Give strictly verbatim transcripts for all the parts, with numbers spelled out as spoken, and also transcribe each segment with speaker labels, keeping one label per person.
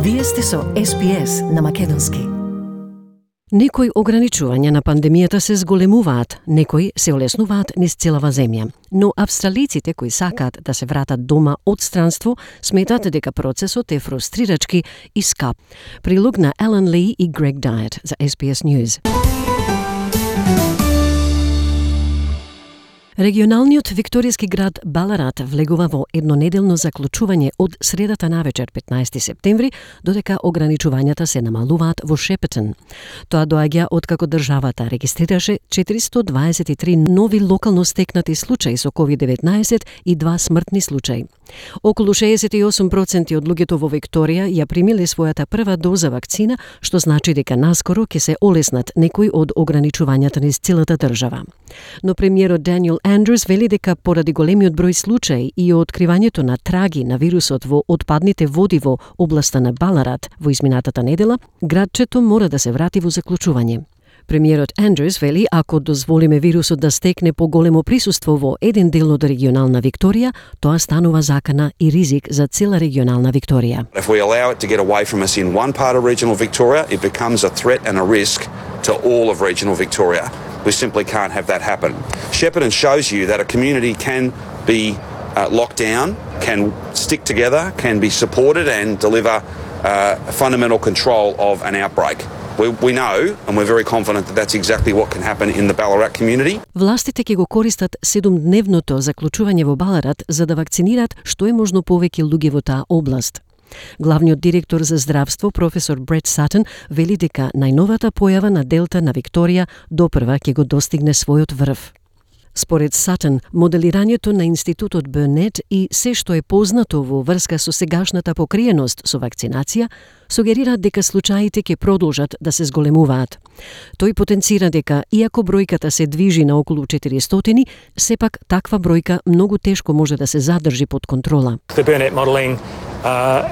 Speaker 1: Вие сте со Ес Би Ес на македонски. Некои ограничувања на пандемијата се зголемуваат, некои се олеснуваат низ целава земја. Но австралиците кои сакаат да се вратат дома од странство, сметат дека процесот е фрустрирачки и скап. Прилог на Елен Ли и Грег Дайет за Ес Би Ес News. Регионалниот викторијски град Баларат влегува во еднонеделно заклучување од средата навечер петнаесети септември, додека ограничувањата се намалуваат во Шепетон. Тоа доаѓа откако државата регистрираше четиристо дваесет и три нови локално стекнати случаи со ковид деветнаесет и два смртни случаи. Околу шеесет и осум проценти од луѓето во Викторија ја примиле својата прва доза вакцина, што значи дека наскоро ќе се олеснат некои од ограничувањата низ целата држава. Но премиерот Даниел Андрус вели дека поради големиот број случаи и откривањето на траги на вирусот во отпадните води во областа на Баларат во изминатата недела, градчето мора да се врати во заклучување. Премиерот Андрус вели ако дозволиме вирусот да стекне поголемо присуство во еден дел од регионална Викторија, тоа станува закана и ризик за цела регионална Викторија.
Speaker 2: If we allow it to get away from us in one part of regional Victoria, it becomes a threat and a risk to all of regional Victoria. We simply can't have that happen. Shepparton shows you that a community can be uh, locked down, can stick together, can be supported and deliver uh, fundamental control of an outbreak. We, we know and we're very confident that that's exactly what can happen in the Ballarat community.
Speaker 1: Властите ќе го користат седумдневното заклучување во Баларат за да вакцинираат што е можно повеќе луѓе во таа област. Главниот директор за здравство, професор Брет Сатен, вели дека најновата појава на Делта на Викторија допрва ќе го достигне својот врв. Според Сатен, моделирањето на институтот Бърнет и се што е познато во врска со сегашната покриеност со вакцинација, сугерираат дека случаите ќе продолжат да се зголемуваат. Тој потенцира дека, иако бројката се движи на околу четиристотини, сепак таква бројка многу тешко може да се задржи под контрола.
Speaker 3: The Burnett modelling uh,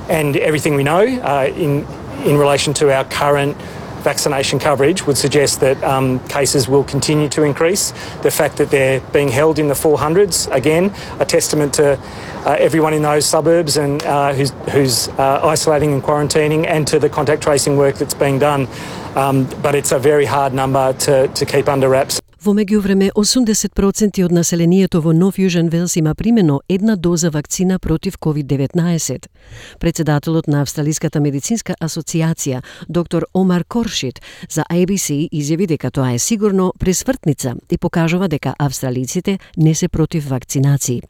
Speaker 3: and everything we know uh, in in relation to our current vaccination coverage would suggest that um, cases will continue to increase. The fact that they're being held in the four hundreds, again, a testament to uh, everyone in those suburbs and uh, who's, who's uh, isolating and quarantining, and to the contact tracing work that's being done. Um, but it's a very hard number to, to keep under wraps.
Speaker 1: Во меѓувреме, осумдесет проценти од населението во Нов Јужен Велс има примено една доза вакцина против ковид деветнаесет. Председателот на Австралиската медицинска асоциација, доктор Омар Коршит, за Ей Би Си изјави дека тоа е сигурно пресвртница и покажува дека австралиците не се против вакцинации.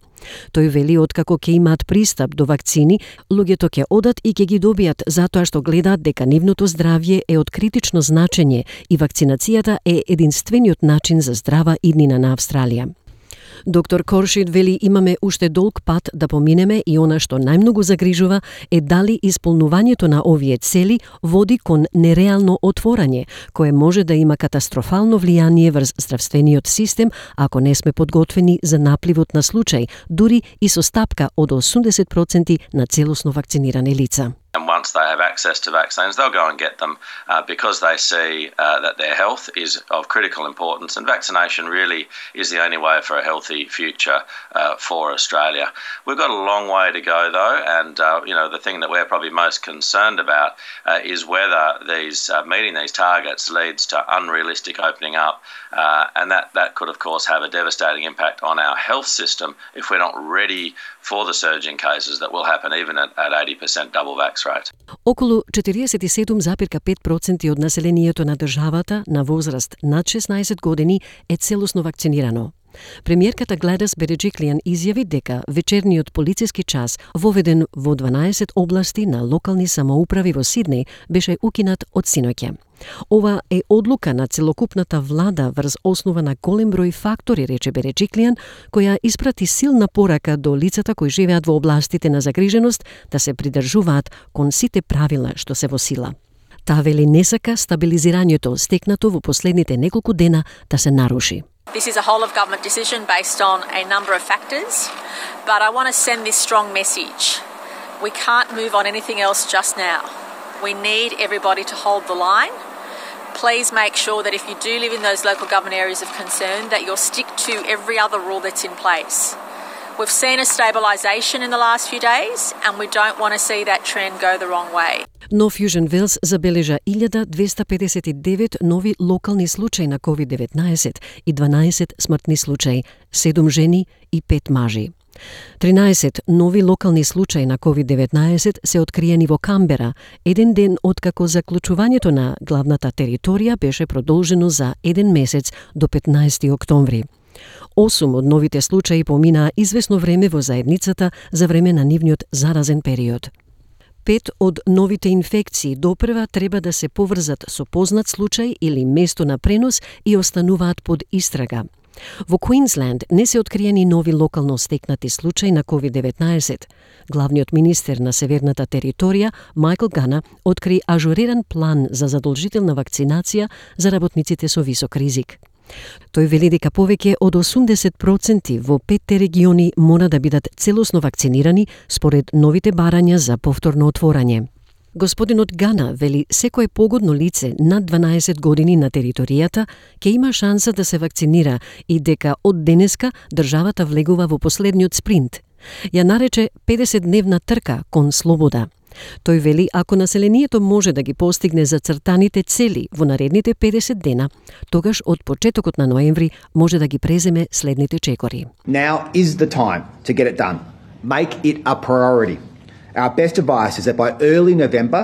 Speaker 1: Тој вели откако ќе имаат пристап до вакцини, луѓето ќе одат и ќе ги добијат затоа што гледаат дека нивното здравје е од критично значење и вакцинацијата е единствениот начин за здрава иднина на Австралија. Доктор Коршит вели имаме уште долг пат да поминеме и она што најмногу загрижува е дали исполнувањето на овие цели води кон нереално отворање, кое може да има катастрофално влијание врз здравствениот систем ако не сме подготвени за напливот на случаи, дури и со стапка од осумдесет проценти на целосно вакцинирани лица.
Speaker 4: And once they have access to vaccines, they'll go and get them uh, because they see uh, that their health is of critical importance, and vaccination really is the only way for a healthy future uh, for Australia. We've got a long way to go, though, and uh, you know the thing that we're probably most concerned about uh, is whether these uh, meeting these targets leads to unrealistic opening up, uh, and that that could, of course, have a devastating impact on our health system if we're not ready for the surge in cases that will happen even at, at eighty percent double vax rate.
Speaker 1: Околу четириесет и седум запирка пет проценти од населението на државата на возраст над шеснаесет години е целосно вакцинирано. Премиерката Гледис Береджиклијан изјави дека вечерниот полициски час, воведен во дванаесет области на локални самоуправи во Сиднеј, беше укинат од синоќа. Ова е одлука на целокупната влада врз основа на голем број фактори, рече Береджиклијан, која испрати силна порака до лицата кои живеат во областите на загриженост да се придржуваат кон сите правила што се во сила. Таа вели не сака стабилизирањето стекнато во последните неколку дена да се наруши.
Speaker 5: This is a whole-of-government decision based on a number of factors, but I want to send this strong message. We can't move on anything else just now. We need everybody to hold the line. Please make sure that if you do live in those local government areas of concern, that you'll stick to every other rule that's in place. We've seen a stabilisation in the last few days and we don't want to see that trend go the wrong way.
Speaker 1: Нов Јужен Велс забележа илјада двеста педесет и девет нови локални случаи на ковид деветнаесет и дванаесет смртни случаи, седум жени и пет мажи. тринаесет нови локални случаи на ковид деветнаесет се откриени во Камбера, еден ден откако заклучувањето на главната територија беше продолжено за еден месец до петнаесети октомври. Осум од новите случаи поминаа извесно време во заедницата за време на нивниот заразен период. Пет од новите инфекции допрва треба да се поврзат со познат случај или место на пренос и остануваат под истрага. Во Квинсленд не се откриени нови локално стекнати случаи на ковид деветнаесет. Главниот министер на северната територија, Майкл Гана, откри ажуриран план за задолжителна вакцинација за работниците со висок ризик. Тој вели дека повеќе од осумдесет проценти во петте региони мора да бидат целосно вакцинирани според новите барања за повторно отворање. Господинот Гана вели секое погодно лице над дванаесет години на територијата ќе има шанса да се вакцинира и дека од денеска државата влегува во последниот спринт. Ја нарече педесетдневна трка кон слобода. Тој вели ако населението може да ги постигне зацртаните цели во наредните педесет дена, тогаш од почетокот на ноември може да ги преземе следните чекори.
Speaker 6: Now is the time to get it done. Make it a priority. Our best advice is that by early November,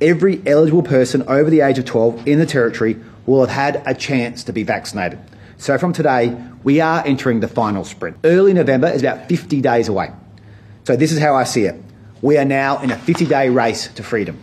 Speaker 6: every eligible person over the age of twelve in the territory will have had a chance to be vaccinated. So from today, we are entering the final sprint. Early November is about fifty days away. So this is how I see it. We are now in a fifty-day race to freedom.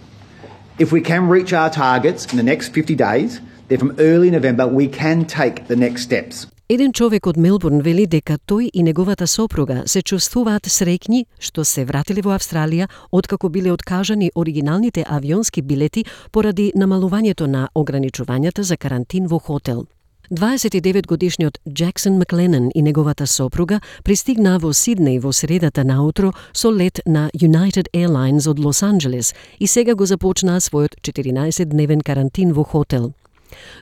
Speaker 6: If we can reach our targets in the next fifty days, then from early November we can take the next steps.
Speaker 1: Еден човек од Мелбурн вели дека тој и неговата сопруга се чувствуваат среќни што се вратиле во Австралија откако биле откажани оригиналните авионски билети поради намалувањето на ограничувањата за карантин во хотел. дваесет и девет годишниот Джексон Макленан и неговата сопруга пристигнаа во Сиднеј во средата наутро со лет на United Airlines од Лос Анџелес и сега го започнаа својот четиринаесетдневен карантин во хотел.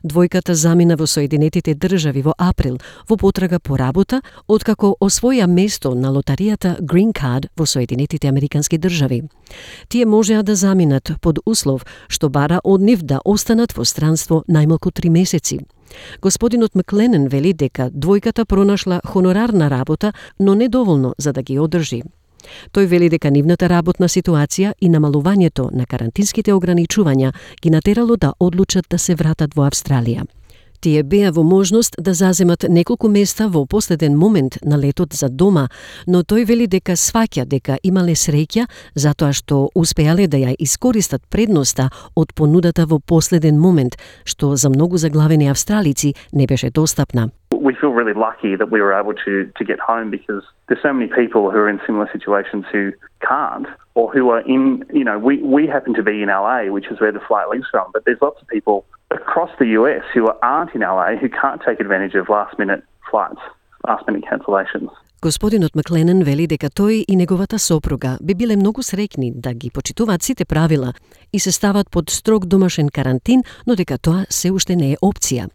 Speaker 1: Двојката замина во Соединетите држави во април во потрага по работа, откако освоја место на лотаријата Green Card во Соединетите Американски држави. Тие можеа да заминат под услов што бара од нив да останат во странство најмалку три месеци. Господинот Макленен вели дека двојката пронашла хонорарна работа, но недоволно за да ги одржи. Тој вели дека нивната работна ситуација и намалувањето на карантинските ограничувања ги натерало да одлучат да се вратат во Австралија. Тие беа во можност да заземат неколку места во последен момент на летот за дома, но тој вели дека сваќа дека имале среќа затоа што успеале да ја искористат предноста од понудата во последен момент, што за многу заглавени австралици не беше достапна.
Speaker 7: We feel really lucky that we were able to, to get home because there's so many people who are in similar situations who can't or who are in, you know, we, we happen to be in L A, which is where the flight leaves from, but there's lots of people across the U S who aren't in L A who can't take advantage of last-minute flights, last-minute cancellations.
Speaker 1: Господинот Макленен вели дека тој и неговата сопруга би биле многу среќни да ги почитуваат сите правила и се стават под строг домашен карантин, но дека тоа се уште не е опција.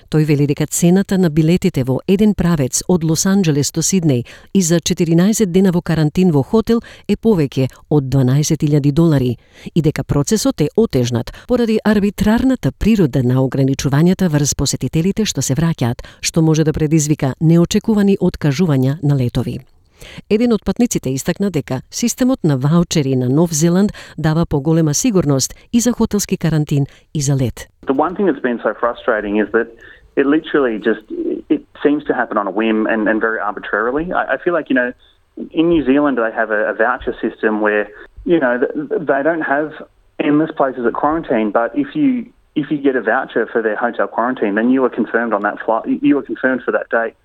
Speaker 1: Тој вели дека цената на билетите во еден правец од Лос Анџелес до Сиднеј и за четиринаесет дена во карантин во хотел е повеќе од дванаесет илјади долари и дека процесот е отежнат поради арбитрарната природа на ограничувањата врз посетителите што се враќаат, што може да предизвика неочекувани откажувања на летови. Еден од патниците истакна дека системот на ваучери на Нов Зеланд дава поголема сигурност и за хотелски карантин и за лет.
Speaker 7: The one thing that's been so frustrating is that it literally just, it seems to happen on a whim and, and very arbitrarily. I, I feel like, you know, in New Zealand they have a, a voucher system where, you know, they don't have endless places at quarantine, but if you if you get a voucher for their hotel quarantine, then you are confirmed on that flight, you are confirmed for that date,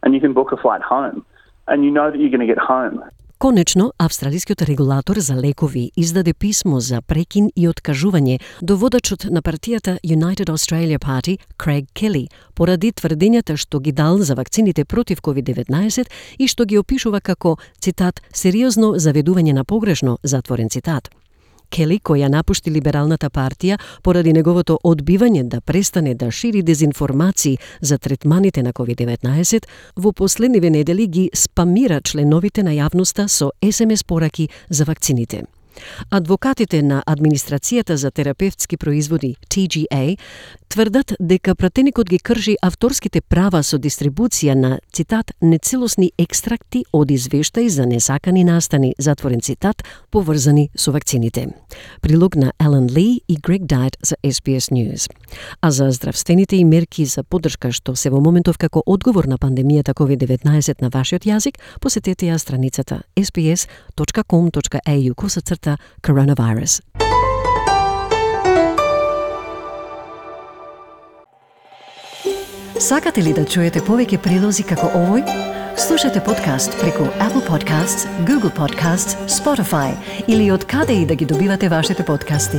Speaker 7: and you can book a flight home. And you know that you're going to get home.
Speaker 1: Конечно, австралискиот регулатор за лекови издаде писмо за прекин и откажување до водачот на партијата United Australia Party, Craig Kelly, поради тврдењата што ги дал за вакцините против ковид деветнаесет и што ги опишува како, цитат, сериозно заведување на погрешно, затворен цитат. Кели, која напушти либералната партија поради неговото одбивање да престане да шири дезинформации за третманите на ковид деветнаесет, во последниве недели ги спамира членовите на јавноста со ес ем ес пораки за вакцините. Адвокатите на Администрацијата за терапевтски производи Т Г А тврдат дека пратеникот ги крши авторските права со дистрибуција на, цитат, нецелосни екстракти од извештаи за несакани настани, затворен цитат, поврзани со вакцините. Прилог на Елен Ли и Грег Дайт за Ес Би Ес News. А за здравствените и мерки за поддршка што се во моментов како одговор на пандемијата ковид деветнаесет на вашиот јазик, посетете ја страницата ес би ес точка ком точка е ю косацрта coronavirus. Сакате ли да чуете повеќе прилози како овој? Слушате подкаст преку Apple Podcasts, Google Podcasts, Spotify или од каде и да ги добивате вашите подкасти.